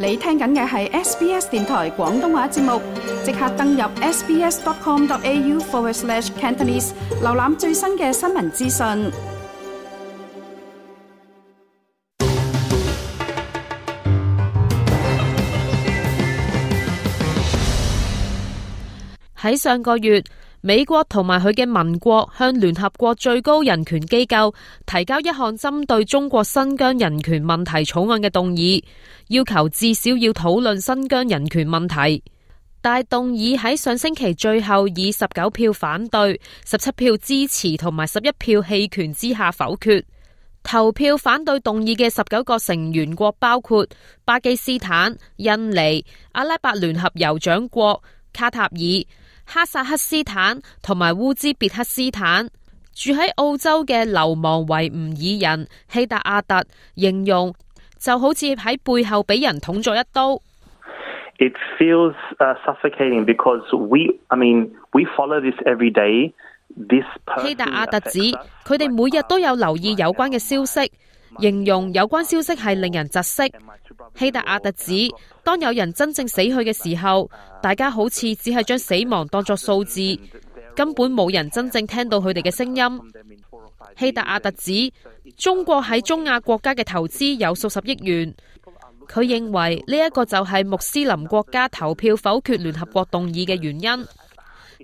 你聽緊嘅係 SBS 電台廣東話節目，即刻登入 sbs.com.au/Cantonese 瀏覽最新嘅新聞資訊。喺上個月，美國同埋佢嘅盟國向聯合國最高人權機構提交一項針對中國新疆人權問題草案嘅動議，要求至少要討論新疆人權問題。但係動議喺上星期最後以19票反對、17票支持同埋11票棄權之下否決。投票反對動議嘅19個成員國包括巴基斯坦、印尼、阿拉伯聯合酋長國、卡塔爾、哈薩克斯坦同埋烏茲別克斯坦。住喺澳洲嘅流亡維吾爾人希達阿特形容就好似喺背後俾人捅咗一刀。It feels suffocating because we follow this every day. 希達阿特指佢哋每日都有留意有關嘅消息，形容有關消息係令人窒息。希達阿特指當有人真正死去嘅時候，大家好似只係將死亡當作數字，根本冇人真正聽到佢哋嘅聲音。希達阿特指中國喺中亞國家嘅投資有數十億元，佢認為呢一個就係穆斯林國家投票否決聯合國動議嘅原因。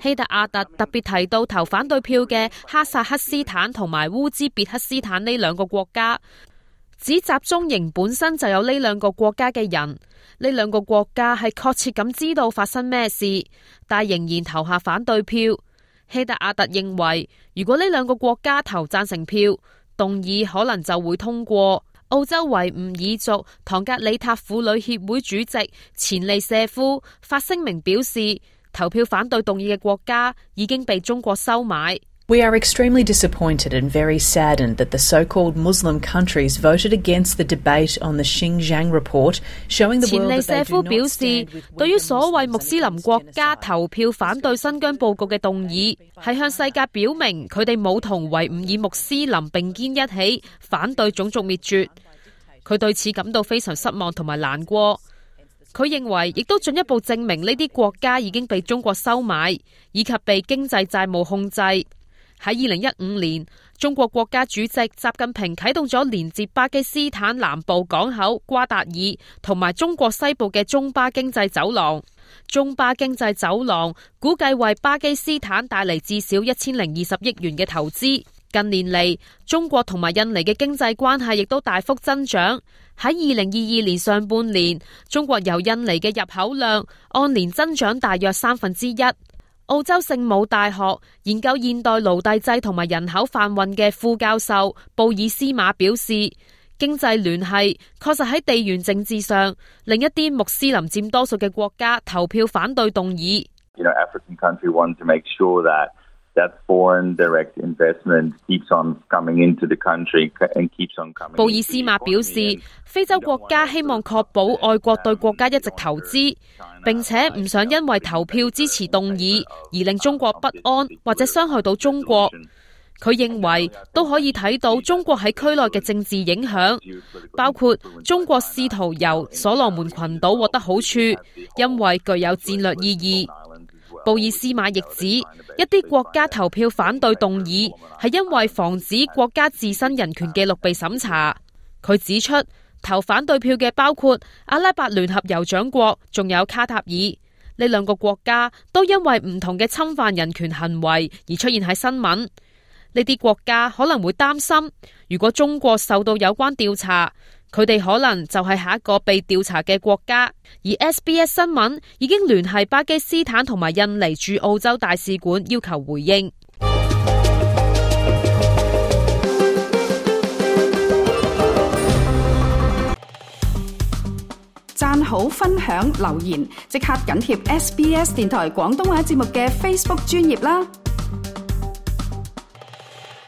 希達阿特特別提到投反對票嘅哈薩克斯坦同埋烏茲別克斯坦呢兩個國家，指集中營本身就有呢兩個國家嘅人，呢兩個國家係確切咁知道發生咩事，但仍然投下反對票。希達阿特認為，如果呢兩個國家投贊成票，動議可能就會通過。澳洲維吾爾族唐格里塔婦女協會主席錢利舍夫發聲明表示，投票反對動議嘅國家已經被中國收買。We are extremely disappointed and very saddened that the so-called Muslim countries voted against the debate on the Xinjiang report, showing the world that they do not stand with 錢利舍夫表示，對於所謂穆斯林國家投票反對新疆報告嘅動議，係向世界表明佢哋冇同維吾爾穆斯林並肩一起反對種族滅絕。佢對此感到非常失望同埋難過。佢認為亦都進一步證明呢啲國家已經被中國收買，以及被經濟債務控制。喺2015年，中國國家主席習近平啟動咗連接巴基斯坦南部港口瓜達爾同埋中國西部嘅中巴經濟走廊。中巴經濟走廊估計為巴基斯坦帶嚟至少1020億元嘅投資。近年嚟，中國同埋印尼嘅經濟關係亦都大幅增長。喺2022年上半年，中國由印尼嘅入口量按年增長大約1/3。澳洲聖母大學研究現代奴隸制同埋人口販運嘅副教授布爾斯馬表示，經濟聯繫確實喺地緣政治上令一啲穆斯林佔多數嘅國家投票反對動議。African country want to make sure that foreign direct investment keeps on coming into the country and keeps on coming. 布爾斯馬表示，非洲國家希望確保外國對國家一直投資，並且唔想因為投票支持動議而令中國不安或者傷害到中國。佢認為都可以睇到中國喺區內嘅政治影響，包括中國試圖由所羅門群島獲得好處，因為具有戰略意義。布爾斯馬亦指，一啲國家投票反對動議係因為防止國家自身人權記錄被審查。佢指出，投反對票嘅包括阿拉伯聯合酋長國，仲有卡塔爾。呢兩個國家都因為唔同嘅侵犯人權行為而出現喺新聞。呢啲國家可能會擔心，如果中國受到有關調查，佢哋可能就係下一個被調查嘅國家。而 SBS 新聞已經聯繫巴基斯坦同埋印尼駐澳洲大使館要求回應。讚好、分享、留言，即刻緊貼SBS 電台廣東話節目嘅 Facebook 專頁啦！